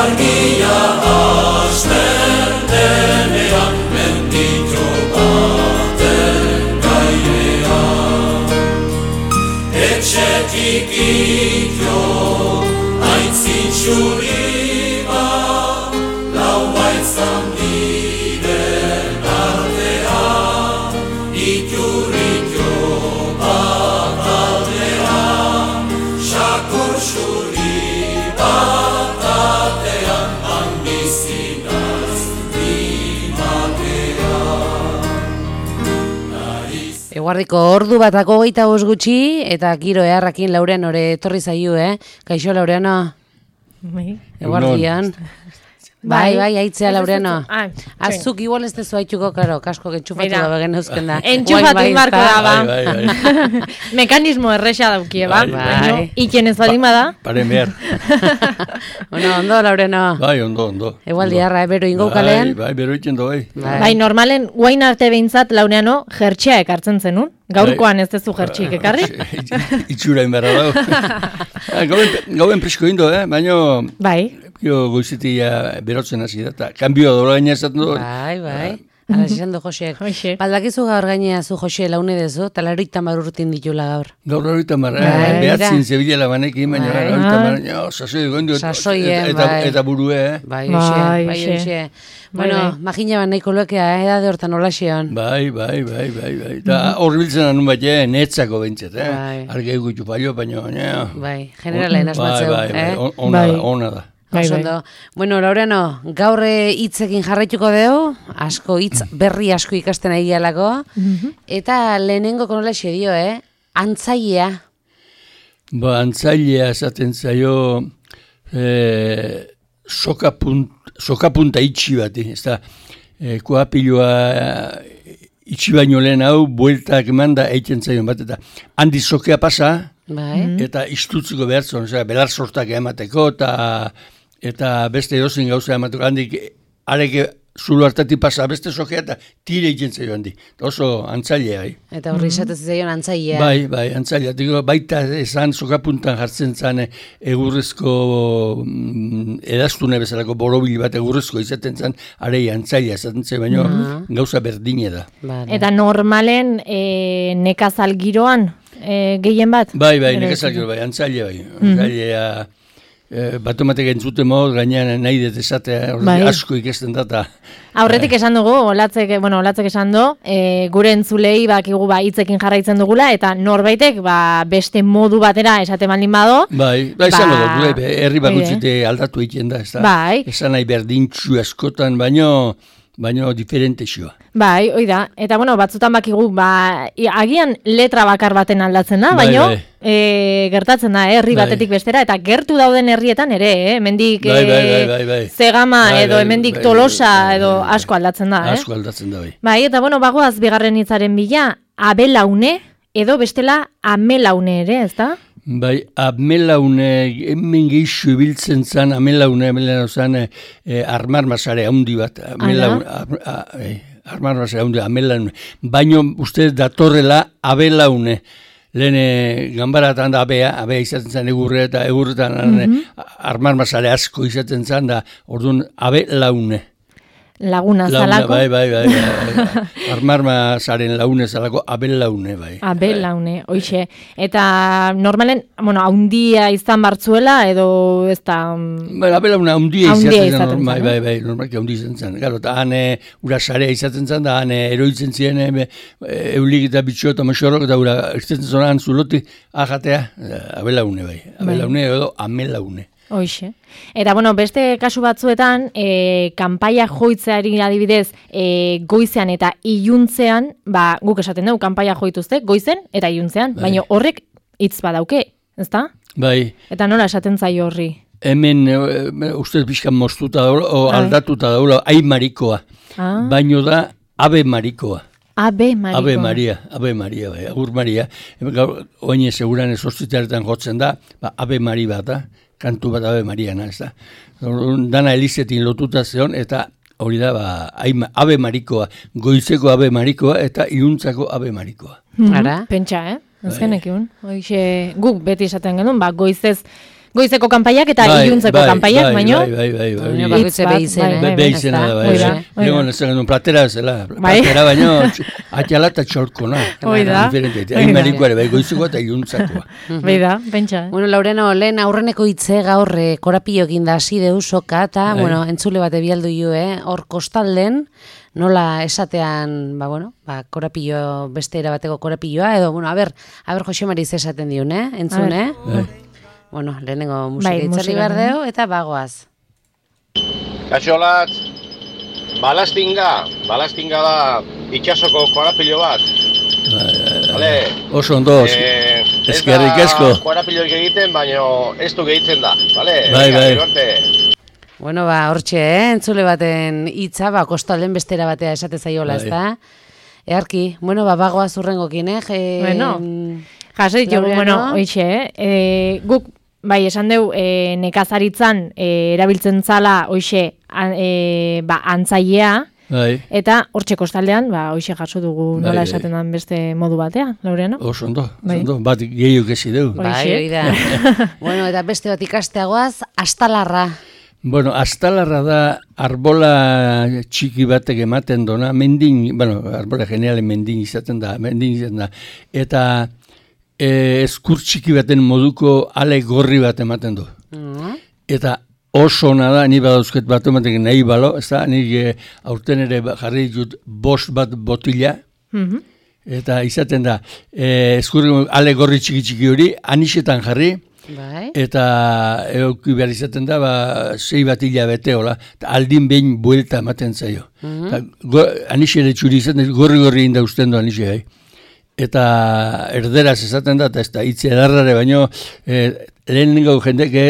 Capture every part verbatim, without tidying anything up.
argia hasten denean, menditxo baten gainean. Etxetik itxo, aitzin txuri bat, lau baitzan diren artean, iturritxo bat aldean, sakur txuri bat atean, handizinaz dimatean. Eguardiko ordu batako geita bost gutxi, eta giro eharrakin Laurean ore etorri zaio, eh? Kaixo, Laureano? Eguardian. Bai, bai, aitzea, Laureano. Azuk igual ez tezu haitxuko, karo, kasko getxufatu da begen eusken da. Entxufatu marko da, ba. Mekanismo erresa daukie, ba. Iken ez balima da. Paren behar. Bueno, ondo, Laureano. Bai, ondo, ondo. Egualdi harra, bero ingo kalean. Bai, bero itzen do, bai. Bai, normalen, guain arte behintzat, Laureano, jertxea ekartzen zenun. Gaurkoan ez dezu jertxik ekarri? Itxura inberra dago. Gauen presko indo, eh? Baina... Bai. Jo goizetia berotzen hasi da, eta kanbioa dola gaina esaten du. Bai, bai. Ala esan du Josek. Baldakizu gaur gainea zu Jose laune dezu, eta laroita mar urtin ditula gaur. Gaur laroita mar, behatzin zebilela banekin, baina laroita mar, sasoi goindu. Sasoien, bai. Eta burue, eh? Bai, oxe, bai, oxe. Bueno, magina ban nahiko loekea, edade hortan olaxion. Bai, bai, bai, bai, bai. Eta horri biltzen anun bat, netzako behintzet, eh? Arge egutu palio, baina, bai, generalen asmatzeu, eh? Bai, bai, ona da, ona da. Bai, bai. Bueno, Laureano, gaur hitzekin jarraituko dugu, asko hitz berri asko ikasten ari galako, eta lehenengo konola dio, eh? Antzailea. Ba, antzailea esaten zaio eh, sokapunta itxi bat, ez da, eh, koapiloa itxi baino lehen hau, bueltak eman da eiten zaion bat, eta handi sokea pasa, bai. Eta istutziko behar zuen, belar sortak emateko, eta eta beste edozein gauza emateko, handik areke zulo hartatik pasa beste sokea, eta tire egiten zaio handi. Oso antzailea, bai. Eta horri esatez zaion antzailea. Bai, bai, antzailea. Digo, baita esan sokapuntan jartzen zan egurrezko mm, edaztune bezalako borobil bat egurrezko izaten zan, arei antzailea esaten zen, baina gauza berdine da. Vale. Eta normalen e, nekazal giroan e, gehien bat? Bai, bai, nekazal giroan, bai, antzailea, bai. Antzailea... E, Batomatek entzuten mod, gainean nahi dut esatea, bai. Asko ikesten data. Aurretik esan dugu, olatzek, bueno, olatzek esan du, e, gure entzulei bakigu ba hitzekin jarraitzen dugula, eta norbaitek ba, beste modu batera esate baldin bado. Bai, bai, ba, izango dut, herri bakutzite aldatu egiten da, ez da. Bai. Esan nahi berdintxu askotan, baino... baina diferente xioa. Bai, hoi da. Eta, bueno, batzutan bakigu, ba, agian letra bakar baten aldatzen da, baina bai, bai. E, gertatzen da, herri bai. Batetik bestera, eta gertu dauden herrietan ere, eh? Hemendik bai, bai, bai, bai, bai. Zegama bai, edo hemendik bai, Tolosa bai, bai, edo bai, bai, asko aldatzen da, eh? Asko aldatzen da, bai. Bai, eta, bueno, bagoaz bigarren hitzaren bila, abelaune edo bestela amelaune ere, ez da? Bai, amelaune, hemen geixo ibiltzen zan, amelaune, amelaune zan, eh, armarmasare handi bat, amelaune, eh, armarmasare handi, amelaune, baino uste datorrela abelaune, lehen ganbaratan da abea, abea izaten zan egurre eta egurretan mm-hmm. armarmasare asko izaten zan da, orduan abelaune. Laguna zalako. Bai, bai, bai, bai. Armarmasaren laune zalako, abelaune, bai. Abelaune, oixe. Eta normalen, bueno, haundia izan bartzuela, edo ez da... Bai, abelaune haundia izaten zen, bai, bai, bai, normalki haundia izaten zen. Garo, eta hane urasarea izaten zen, da hane eroitzen ziren, e, eulik eta bitxo eta moxorrok, eta ura, izaten zonan zuloti, ahatea, abelaune, bai. Abelaune edo amelaune. Hoixe. Eta, bueno, beste kasu batzuetan, e, kanpaia joitzeari adibidez, e, goizean eta iluntzean, ba, guk esaten dugu, kanpaia joituzte, goizen eta iluntzean, bai. Baina horrek hitz badauke, ezta? Bai. Eta nola esaten zaio horri? Hemen, e, ustez bizkan moztuta daula, o aldatuta daula, aimarikoa. Ah. Baino da, abe marikoa. Abe Marikoa. Abe Maria, Abe Maria, bai, Agur Maria. Oine seguran ez hospitaletan jotzen da, ba, Abe Mari bat da, kantu bat Abe Mariana, ez da. Dana Elizetin lotuta zeon, eta hori da, ba, Abe Marikoa, goizeko Abe Marikoa, eta iluntzako Abe Marikoa. Mm-hmm. Pentsa, eh? Azkenek egun. Hoixe, guk beti esaten genuen, ba, goizez Goizeko kanpaiak eta bai, iluntzeko bai, kanpaiak, bai, baino. Bai, bai, bai, bai. Baina bakoitze Hitz bat, beizena, bai, eh? bai, Be izena da, bai. Hoi da, hoi da. Egon, ez genuen platera zela. Bai. Platera baino, atxala eta txolkona. Hoi da. Diferente. Hoi da. Hain marikoare, bai, goizuko eta iluntzakoa. Bai da, pentsa. eh? Bueno, Laureno, lehen aurreneko hitze gaur eh, korapilo egin da hasi deu soka, eta, Bai. bueno, entzule bat ebialdu ju, eh? Hor kostalden, nola esatean, ba, bueno, ba, korapilo, beste erabateko korapilloa, edo, bueno, a ber, a ber Jose Mari ze esaten diun, eh? Entzun, A eh? Bai. Bueno, lehenengo musika Bai, itzarri musika, behar deu, eta bagoaz. Kaixolatz, balastinga, balastinga da itxasoko korapilo bat. Vale. Oso ondo, Eh, ez eskerrik da asko. korapiloik egiten, baino ez du gehitzen da. Vale? Bai, Venga, bai. gero arte. Bueno, ba, hortxe, eh? Entzule baten hitza, ba, kostalden bestera batea esate zaiola, Bai. ezta? Earki, bueno, ba, bagoaz urrengokin, eh? Je, Bueno. Jaso ditugu, Laureano. bueno, hoixe, eh? E, guk, bai, esan deu, e, nekazaritzan e, erabiltzen zala, hoixe, an, e, ba, antzailea, Bai, eta hortxe kostaldean, ba, hoixe jaso dugu Bai, nola bai. esaten den beste modu batea, Laureano? oso ondo, oso Bai. ondo. Bat gehiuk ezi deu. Horixe. Bai, hori da. Bueno, eta beste bat ikasteagoaz, astalarra. Bueno, astalarra da arbola txiki batek ematen dona, mendin, bueno, arbola generalen mendin izaten da, mendin izaten da, eta e, eskur txiki baten moduko ale gorri bat ematen du. Mm. Eta oso ona da, ni badauzket bat ematek nahi balo, ez da, nik e, aurten ere ba- jarri ditut bost bat botila, Mhm. eta izaten da, e, eskur ale gorri txiki txiki hori, anisetan jarri, Bai. eta euki behar izaten da, ba, sei bat hilabete, hola, eta aldin behin buelta ematen zaio. Eta go- Anixe ere txuri izaten, gorri-gorri inda usten du anixe, bai. Eta erderaz esaten da, eta ez da hitz edarrare, baino e, lehenengo jendek e,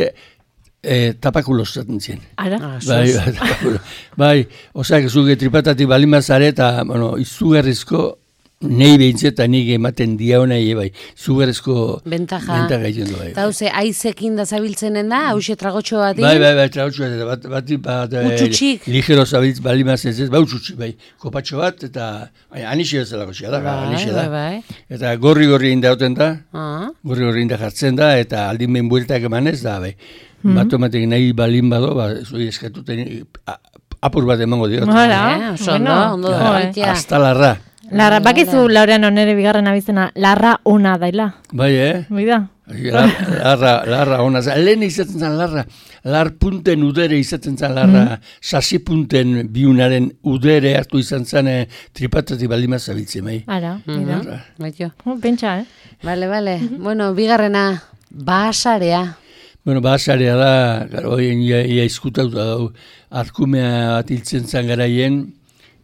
e, tapakulo esaten zien. Ara? Ah, Bai, sos. bai, tapakulo. Bai, osak zuge tripatatik balimazare, eta, bueno, izugarrizko nei behintzet, eta nik ematen dia honai, bai, izugarrizko Bentaja. bentaja egiten du, bai. Eta hauze, aizekin da zabiltzenen da, hause tragotxo bat Bai, bai, bai, trautxu bat, bat, bat, bat, bat Utxutxik. ligero zabiltz balimaz ez ez, bai, utxutxik, bai, kopatxo bat, eta, bai, anixe bezalako xea da, Bai, anixe da. bai, bai. Eta gorri-gorri indauten da, Ah, gorri-gorri inda jartzen da, eta aldin behin bueltak emanez da, bai. Bat ematek nahi balin bado, ba, zui eskatuten a- apur bat emango diot. Hala, eh, oso bueno, ondo, ondo Ja, da, baitia. Astalarra. Larra, bakizu Laureano nere bigarren abizena, larra ona daila. Bai, eh? Bai da? Lar- Larra, larra, ona. za- Lehen izaten zen larra, lar punten udere izaten zen larra, sasi punten biunaren udere hartu izan zen eh, tripatatik baldima zabiltzen, bai. Ara, bai da. Baitio. Oh, pentsa, eh? Bale, bale. Bueno, bigarrena, basarea. Bueno, basarea da, garo, hoien ia, ia izkutauta dau, arkumea bat hiltzen zen garaien,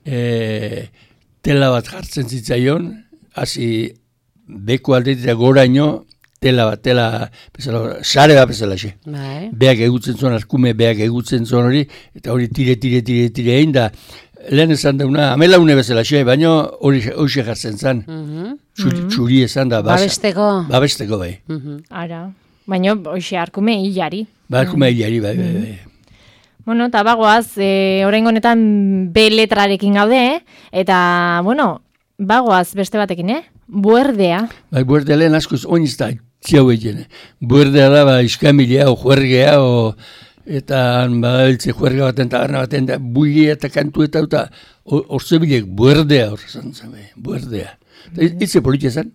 e, tela bat jartzen zitzaion, hasi beko aldetik goraino, tela bat, tela, bezala, sare bat bezala xe. Bai. Beak egutzen zuen, arkume beak egutzen zuen hori, eta hori tire, tire, tire, tire egin da, lehen esan dauna, amelaune bezala xe, baina hori hori jartzen zen, Mhm. txuri, txuri esan da, basa. Babesteko. Babesteko bai. Mhm. Ara. Baina, hoxe, arkume hilari. Ba, arkume hilari, bai, bai, bai. Bueno, eta bagoaz, e, oraingo honetan B letrarekin gaude, eh? Eta, bueno, bagoaz beste batekin, eh? Buerdea. Bai, buerdea lehen askoz, oin ez da, txiau egin. Buerdea da, ba, iskamilea, o juergea, o, eta badabiltze juerga baten, taberna baten, da, buia eta kantu eta, eta orzebilek, buerdea, hor esan zen, bai, buerdea. Eta hitze politia zen?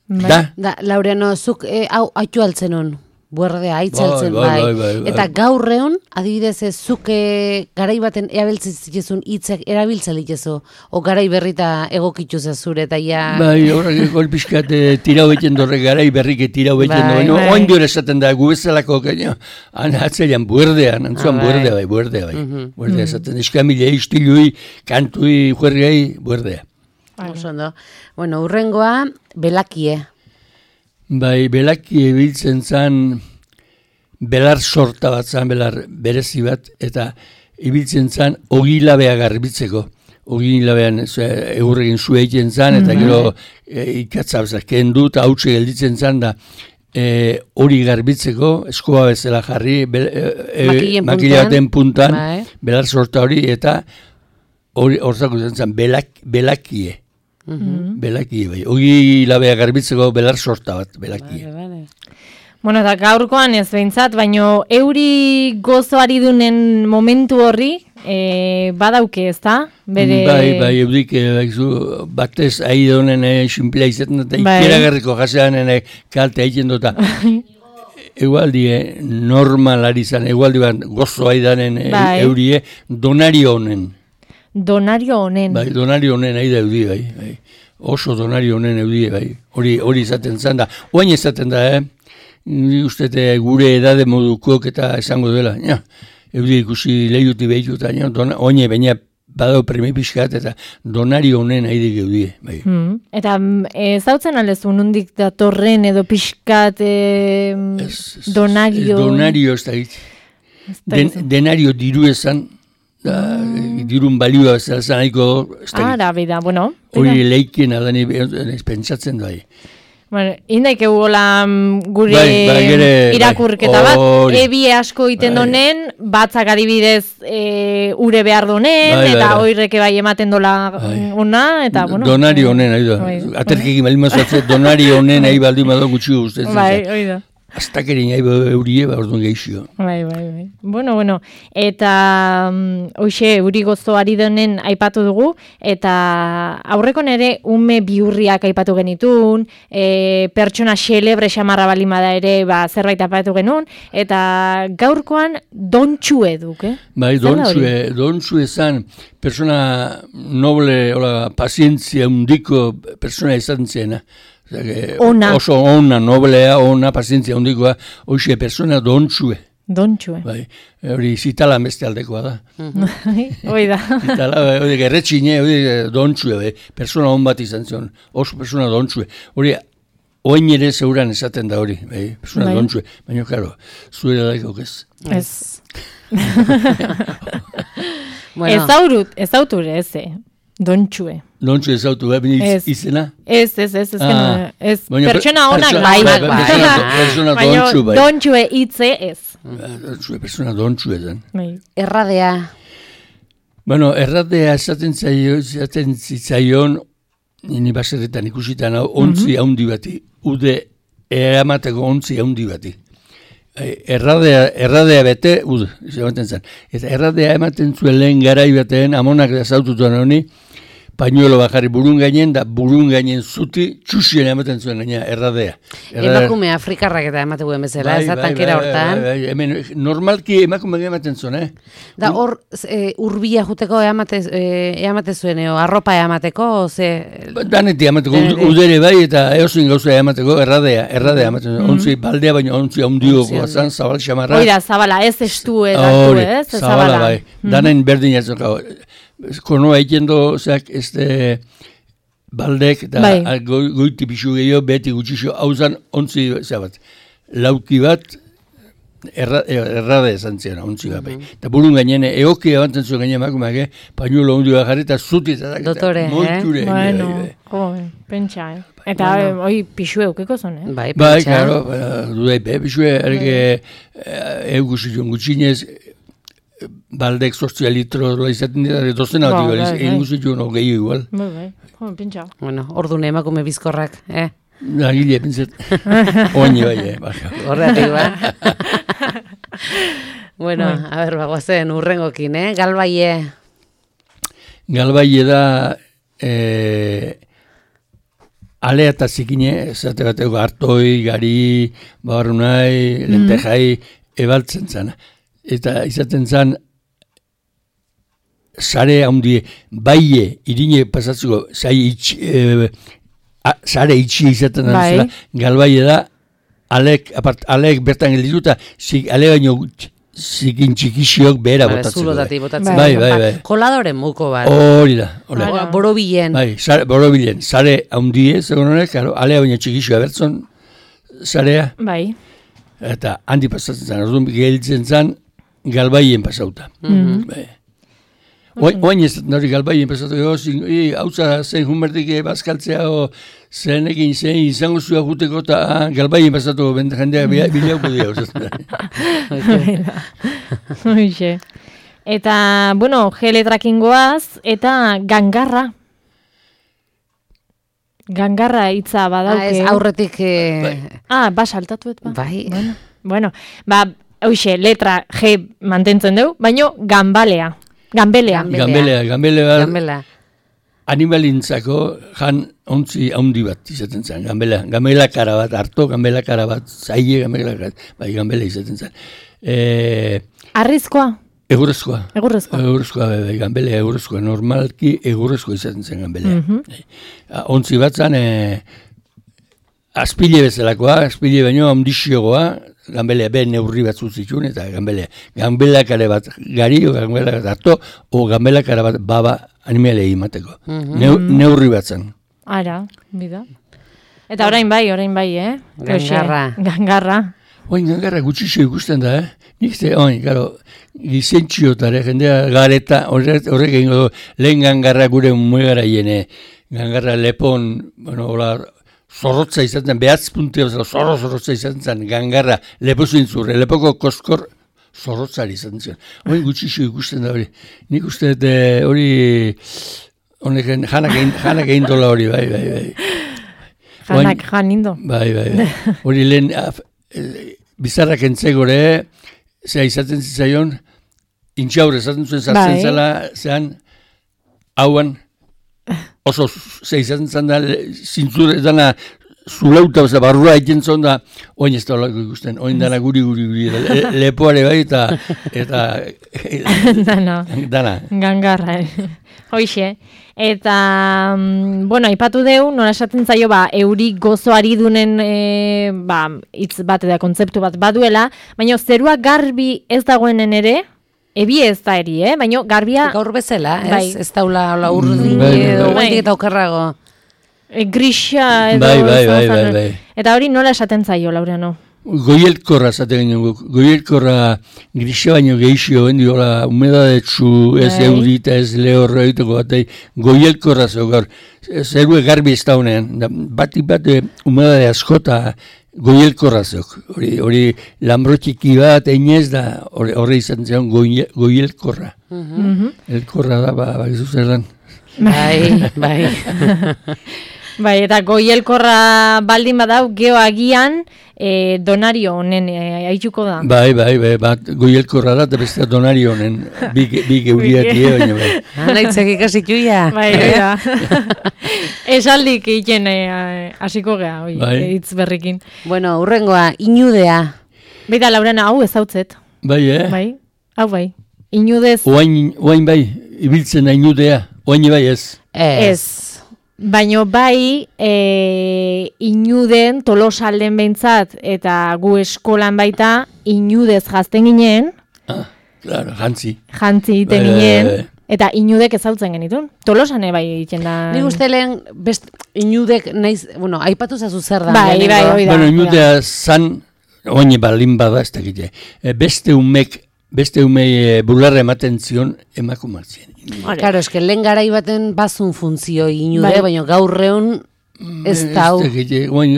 Da? Da, Laureano, zuk eh, hau haitu altzen hon, buerdea, aitzaltzen, Bai, bai. bai, bai, bai, bai. Eta gaur egun, adibidez, ez, zuk eh, garai baten erabiltzen zitezun hitzak erabiltzen litezu, o garai berrita egokitu zure, eta ja... Bai, horrek golpiskat tirau egiten dorre garai berrike tirau egiten Bai, du. bai. Oin dior esaten da, gu bezalako, gaino, atzeian buerdean, antzuan Ah, bai. buerdea, bai, buerdea, bai. Buerdea esaten, eskamilei, istilui, kantui, juergei, buerdea. Oso ondo. Bueno, urrengoa, belakie. Bai, belaki ebiltzen zan, belar sorta bat zan, belar berezi bat, eta ibiltzen zan, ogilabea garbitzeko. Ogilabean egurrekin zu egiten zan, eta gero e, ikatzabzak kendu, eta hautsi gelditzen zan, da e, hori garbitzeko, eskoa bezala jarri, be, e, Makillen makila puntan. baten puntan, Bai. belar sorta hori, eta hori horzako izan zan, belak, belakie. Belakie, bai. Ogilabea garbitzeko belar sorta bat, belakie. Vale, vale. Bueno, eta gaurkoan ez behintzat, baino euri gozoari dunen momentu horri, e, badauke, ez da? Bere... Bai, bai, eudik, e, batez ahi donen e, simplea izaten eta Bai. ikeragarriko jaseanen e, kalte egiten dota. Egualdi, e, normalari zan, egualdi bat gozo aidanen e, Bai. eurie, donario honen. Donario honen. Bai, donario honen ahi da eudi, bai, bai. Oso donario honen eudi, bai. Hori hori izaten zan da. Oain izaten da, eh? Ni uste gure edade modukok eta esango dela. Ja, eudi ikusi lehiuti behituta, ja, oine baina badao premi pixkat eta donario honen ahi dik eudi, bai. Hmm. Eta ez dautzen aldezu, nondik datorren edo pixkat e, donario... Donario ez da hit. Den, denario diru esan, da, dirun balioa bezala zan nahiko ez da hit. Ara, bida, bueno. Hori leikien adani ez pentsatzen da. Bueno, indaik egola gure Bai, bai, gere, irakurketa bai, bat, hori. ebie asko iten Bai. donen, batzak adibidez e, ure behar donen, Bai, bai, eta bai. oirreke bai ematen dola Bai. ona, eta bueno. Donari honen, ahi da. Bai. Aterkekin baldin mazatze, donari honen ahi baldin mado gutxi guztetzen. Bai, hori da. Aztakerin ahi eurie, ba, orduan geixio. Bai, bai, bai. Bueno, bueno, eta um, hoxe, euri gozoari denen aipatu dugu, eta aurrekon ere ume biurriak aipatu genitun, e, pertsona xelebre xamarra balimada ere ba, zerbait aipatu genuen, eta gaurkoan dontxue duk, eh? Bai, Zer da hori? dontsue, dontsue zan, persona noble, hola, pazientzia undiko persona izan zena. Ona. Oso ona, noblea, ona, pazientzia undikoa, hoxe persona dontsue. Dontxue. Bai, hori zitala beste aldekoa da. Hoi da. Zitala, hori gerretxine, hori dontsue, bai, persona on bat izan zion, oso persona dontsue. Hori, oin ere zeuran esaten da hori, bai, persona Bai. dontsue. Baina, karo, zuera daikok ez. Ez. Bueno, Ez aurut, ez auture, ez, eh? Dontxue. Dontsu ez autu, bai, Ez. izena? Ez, ez, ez, ez, Ah. ez, Baina pertsona per- onak pertsona- bai, bai, bai, persona- persona baina dontxu, bai. dontxue hitze ez. Dontsue, persona dontsu edan. Bai. erradea, Bueno, erratea esaten zaio, esaten zitzaion, ni baserretan ikusitan, hau, ontzi haundi bati, ude eramateko ontzi haundi bati. Eh, Erradea, erradea bete, ud, ematen zen. Eta erradea ematen zuen lehen garai batean, amonak da zaututuan honi, pañuelo bajarri burun gainen, da burun gainen zuti, txusien ematen zuen gaina erradea. Erradea- emakume afrikarrak eta emateko bezala, Bai, ez da bai, tankera bai, hortan. bai, bai, hemen, normalki emakume ematen zuen, eh? Da hor, e, urbia juteko eamate, e, eamate zuen, eo, arropa eamateko, ze... Daneti emateko, Daneti. udere bai eta eozin gauza emateko, erradea, erradea ematen zuen. Ontzi baldea, baina ontzi haundioko zan, zabal xamarra. Hoi da, zabala, ez estu edatu, Hori, ez? Ez zabala bai. Danen berdin ez zokau. Konoa egendo, zeak, este, baldek, da, Bai. a- goi- goiti pixu gehiago, beti gutxixo, hauzan, ontzi, zebat, lauki bat, erra, errade esan zian, ontzi bat, bai. Eta burun gainen, eoki abantzen zuen gainen emakumeak, eh? Pañuelo hundi bat jarri, eta zuti, eta Dotore, eh? moiture, Bueno, bai, bai. jo, pentsa, eh? Eta Bueno. hoi pixu eukeko zon, eh? Bai, Bai, pentsa. claro, dudai, be, bixue, erge, eugusitxon gutxinez, baldek sozia litro izaten dira, dozena bat Ba, igual, bai, bai. egin guzitxon hogei igual. Bai, bai, jo, pentsa. Bueno, ordune emakume bizkorrak, eh? Nagile, pintzet, oini bai, eh, baka. Horretik, ba? Bueno, a ber, bagoazen urrengokin, eh? Galbaie, Galbaile da, eh, alea eta zikine, esate bateko hartoi, gari, babarunai, lentejai, ebaltzen zan. Eta izaten zan, sare handie, baie, irine pasatzeko, zai itxi, eh, a- sare itxi izaten da, Bai. bezala, galbaile da, alek, apart, alek bertan geldituta, zik, ale baino zik- zikin txikixiok behera Vale, botatzeko. zulotatik botatzen. Bai, bai, bai. Koladoren muko bat. Hori da, hori. Ara. O, Borobilen. Bai, sare, borobilen, sare handie, zegoen honek, claro, alea baina txikixoa bertzon, sarea, Bai. eta handi pasatzen zen, orduan gelditzen zen, galbaien pasauta. Bai. Oain, oain ez dut hori galbaien pasatu, hau za zen junbertik bazkaltzea, o zenekin zen izango zua juteko, eta ah, galbaien pasatu bende jendea bilauko dira. Hoixe. Eta, bueno, G letrakin goaz, eta gangarra. Gangarra hitza Ah, badauke. ez, aurretik... Eh, Ah, ba, saltatuet ba. Bai. Bueno, bueno, ba, hoxe, letra G mantentzen dugu, baino ganbalea. Ganbelea. Ganbelea. Gambelea, gambelea, Gambela. animalintzako jan ontzi haundi bat izaten zen, gambela, gambela kara bat, harto gambela kara bat, zaile gambela kara bat, bai, gambela izaten zen. E, Arrizkoa, egurrezkoa. egurrezkoa. Egurrezkoa, bai, bai, gambela egurrezkoa, normalki egurrezkoa izaten zen gambelea. Mhm. E, ontzi bat zen, e, azpile bezalakoa, azpile baino handixiogoa, gambelea be neurri batzu zituen, eta gambelea, gambela kare bat gari, o gambela bat harto, o gambela kare bat baba animalei imateko. Neu, neurri bat zen. Ara, bida. Eta orain bai, orain bai, eh? Hoxe, Gangarra. Gangarra. Oin gangarra gutxixo ikusten da, eh? Nik ze, oin, garo, gizentxiotare, jendea gareta, horrek horrek egingo du, lehen gangarra gure muegara hiene, gangarra lepon, bueno, hola, zorrotza izaten, behatz puntia bezala, zorro zorrotza izaten zen, gangarra, lepo zintzurre, lepoko koskor, zorrotzari izaten zen. Oin gutxixo ikusten da hori. Nik uste dut eh, hori, honek, janak egin, janak egin dola hori, bai, bai, bai. Janak, jan indo. Bai, bai, bai. Hori lehen, af, e, bizarrak entzegore, zea izaten zitzaion, intxaur esaten zuen zartzen Bai. zela, zean, hauan, oso zea izaten zan da, zintzure dana, zulauta, oza, barrura egiten zon da, oin ez da olako ikusten, oin dana guri, guri, guri, le, lepoare bai, eta, eta, Dana, dana. gangarra. eh. Hoxe. Eta, mm, bueno, aipatu deu, nola esaten zaio, ba, euri gozoari dunen, e, ba, hitz bat eta kontzeptu bat baduela, baina zerua garbi ez dagoenen ere, ebi ez da eri, eh? Baina garbia Gaur bezala, ez? Bai. Ez daula hola urdin Bai, bai, edo bai. guendik eta okerrago. e, grisa edo... Bai, bai, izan bai, zen. bai, bai. Eta hori nola esaten zaio, Laureano? Goielkorra zaten ginen guk. Goielkorra grisa baino gehixio, bendi hola, humedadetsu, ez Bai. eurita, ez lehorra egiteko batei, goielkorra zeu gaur. Zerue garbi ez da honean, da, batik bat eh, humedade askota goielkorra zeuk. Hori, hori lambrotxiki bat, einez da, hori, horre izan zion goie, goielkorra. Mhm. Elkorra da, ba, ba, gizu zer dan. Bai, bai. Bai, eta goielkorra baldin badau, geho agian e, donario honen e, aituko da. Bai, bai, bai, bat goielkorra da, eta beste donari honen, bi, bi geuriatie, baina bai. Anaitzek ikasituia. Bai, da. Esaldik egiten e, hasiko gea, oi, Bai. hitz berrikin. Bueno, urrengoa, inudea. Baita, Laurena, hau ezautzet. Bai, eh? Bai, hau bai. Inudez, Oain, oain bai, ibiltzen da inudea, oain bai ez. ez. Baino bai, e, inuden, tolosalden behintzat, eta gu eskolan baita, inudez jazten ginen, Ah, claro, jantzi. jantzi egiten Bai, bai, ginen, bai. eta inudek ezautzen genitun. Tolosane bai egiten da. Nik uste lehen, best, inudek naiz, bueno, aipatu zazu zer da. Bai, lehenengo. bai, hoi da. Bueno, inudea zan, oain balin bada ez dakite, e, beste umek, beste umei e, bularra ematen zion emakumatzen. Hore. Claro, eske lehen garai baten bazun funtzio inude, Bai. baina gaur egun ez da hau. Ez dakite, oain,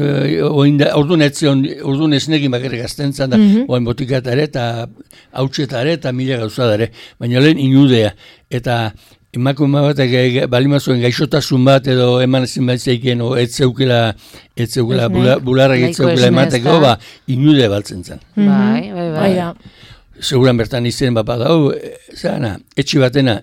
oain da, orduan etzion, orduan esnekin bakarrik azten zan da, Mhm. oain botikatare eta hautsetare eta mila gauzadare, baina lehen inudea, eta emakume batek e, balimazuen gaixotasun bat edo eman ezin bat zeiken, o ez zeukela, ez zeukela, Esne. bula, bularrak ez Nahiko zeukela esne, emateko, ezta? ba, inude baltzen zen. Bai, bai, bai. Bai da. Seguran bertan izen bat badau, e, zana, etxe batena,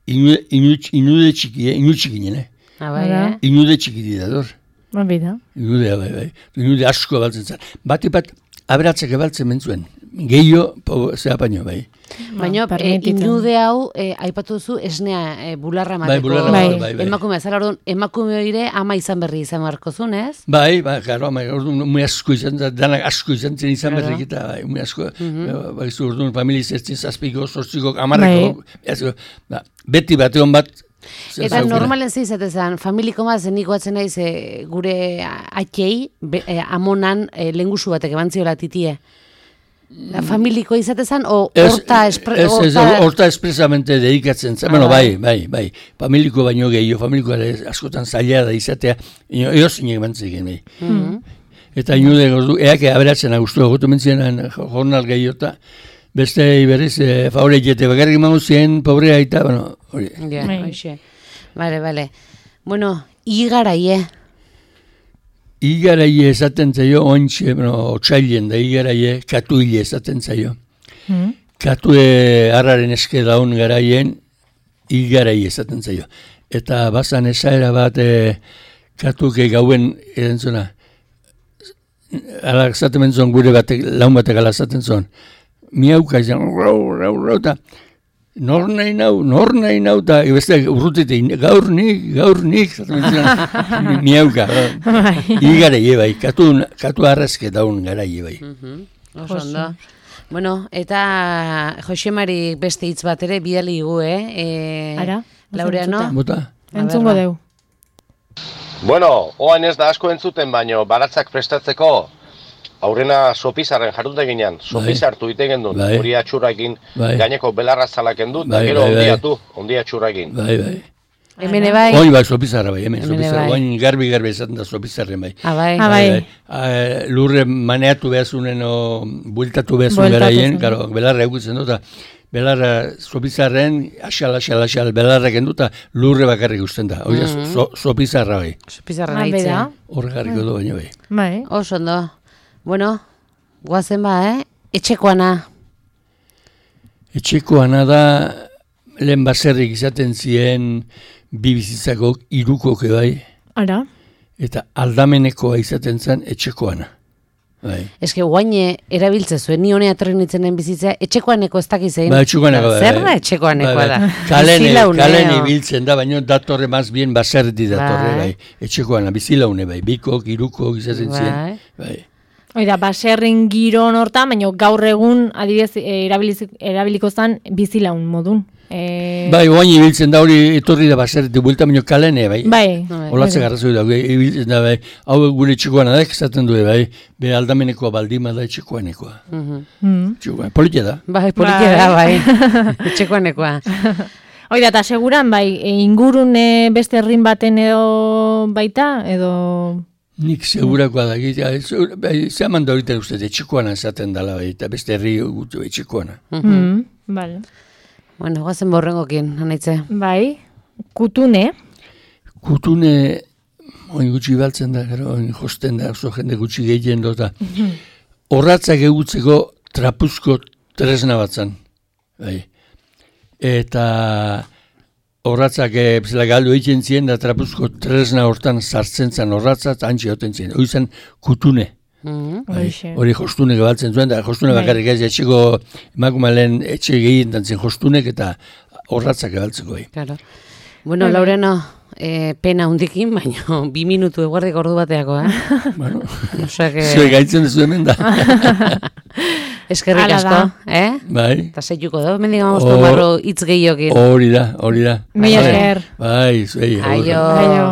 inude, inude, inude txiki, eh? Inude txikinen, eh? Ah, bai, Hala. eh? Inude txiki dira, dor. Bai da. Inudea, bai, bai. Inude asko baltzen zen. Bati bat, aberatzek ebaltzen mentzuen. Gehio, po, zea paino, bai. Baina e, permititzen. inude hau, e, aipatu duzu, esnea e, bularra Bai, emateko. bularra, Bai. bai, bai. Emakume, zara orduan, emakume hori ama izan berri izan beharko zuen, ez? Bai, bai, garo, bai, orduan, muy asko izan, da, danak asko izan zen izan Claro. berrik eta, bai, muy asko, bai, zu, orduan, familia zertzen zazpiko, sortziko, amarreko, bai. ba, beti bateon bat, zer Eta zaukela. normalen ze izatezan, familiko maz, nik batzen naiz e, gure atxei, be, e, amonan e, lengusu batek ebantziola titie. Da, familiko izatezan, o Ez, horta, espre, ez, ez, horta, horta espresamente dedikatzen zen, Ah, bueno, bai. bai, bai, bai, familiko baino gehiago, familiko ere askotan zaila da izatea, ino, eos inek bantzik, bai. Mhm. Eta inude gordu, eak aberatzen agustu egotu mentzienan jornal gehiota, beste berriz, e, favore jete, bakarrik emango zien, pobrea eta, bueno, hori. Ja, Bai. hoxe. Vale, vale. Bueno, igaraie. igaraie esaten zaio, ointxe, bueno, otxailen da igaraie, katuile esaten zaio. Mm. Katue harraren eske daun garaien, igaraie esaten zaio. Eta bazan esaera bat, e, katuke gauen, erantzuna, ala esaten benzon gure batek, laun batek ala esaten zon, miauka izan, rau, rau, rau, eta nor nahi nau, nor nahi nau, eta beste urrutite, gaur nik, gaur nik, miauka. Igarai bai, katu, katu arrezke daun garai bai. Oso ondo. Bueno, eta Josemari beste hitz bat ere bidali gu, eh? E, Ara? Laureano? Bota? Entzungo deu. Bueno, oain ez da asko entzuten, baino baratzak prestatzeko aurrena sopizarren jarrute ginean, sopizartu ite gendun, Bai. hori atxurrakin, Bai. gaineko belarra zalaken dut, Bai, da gero bai, bai. ondiatu, ondia atxurrakin. Bai, bai. Hemen bai? Oin bai, sopizarra bai, hemen Hemen sopizarra, bai. oin garbi-garbi esaten da sopizarren bai. Ah, bai. Ah, bai. Ah, lurre maneatu behazunen o bueltatu behazun Bueltatu garaien, zen. karo, belarra egutzen dut, belarra sopizarren, asal, asal, asal, belarra kendu eta lurre bakarrik usten da. Hori da, so, sopizarra bai. Pizarra Ah, bera. nahitzen. Hor garriko du baina bai. Bai. Oso ondo. Bueno, guazen ba, eh? Etxekoana. Etxekoana da, lehen baserrik izaten ziren bi bizitzako irukoke bai, Ara? eta aldamenekoa izaten zen etxekoana. Bai. Eske guaine erabiltze zuen, ni honea atorri nitzenen bizitzea, etxekoaneko ez dakizein. Ba, etxekoaneko da. Zer da bai. etxekoanekoa Bai, da? bai. Kalene, Bizilaunea. kalene ibiltzen da, baina datorre maz bien baserdi datorre, Bai. bai. Etxekoana, bizilaune, bai. Bikok, irukok izaten Bai. ziren. Bai. Oida, baserrin giron hortan, baina gaur egun adibidez eh, erabiliz- erabiliko zen bizilaun modun. E... Bai, oain ibiltzen da hori etorri da baserdi buelta, baina kalene, bai. Bai. Bai. Olatze garrazoi da, bai, ibiltzen da, bai. Hau gure etxekoana da, esaten du, bai. Be aldamenekoa baldima da etxekoanekoa. Mhm. Mm. Etxekoa, politia da. Bai, politia da, bai. Etxekoanekoa. Oida, eta seguran, bai, e, ingurune beste herrin baten edo baita, edo... Nik segurakoa da, gira, bai, zehaman da horita uste, etxekoana esaten dela, bai, eta beste herri gutu etxekoana. Mm. Vale. Bueno, guazen borrengokin, anaitze. Bai, kutune, Kutune, oin gutxi baltzen da, gero, oin josten da, oso jende gutxi gehien dota. Horratzak egutzeko trapuzko tresna batzan. Bai. Eta horratzak e, bezala galdu egiten ziren, da trapuzko tresna hortan sartzen zen horratzat, antxe hoten ziren. Hori zen kutune. Mhm. Bai, Hoxe. hori jostune gebaltzen zuen, da jostune Bai. bakarrik ez, etxeko emakumalen etxe gehien dantzen jostunek eta horratzak gebaltzeko bai. Claro. Bueno, Bai, bai. Laureano, eh, pena hundikin, baina bi minutu eguardik ordu bateako, eh? Bueno, Osea que... zue gaitzen duzu hemen da. Eskerrik Hala asko, da. eh? Bai, Eta zeituko da, mendik gamos Hor- tomarro hitz gehiokin. hori da, hori da. Mila Bai, esker. Bai, zuei. Aio. Aio.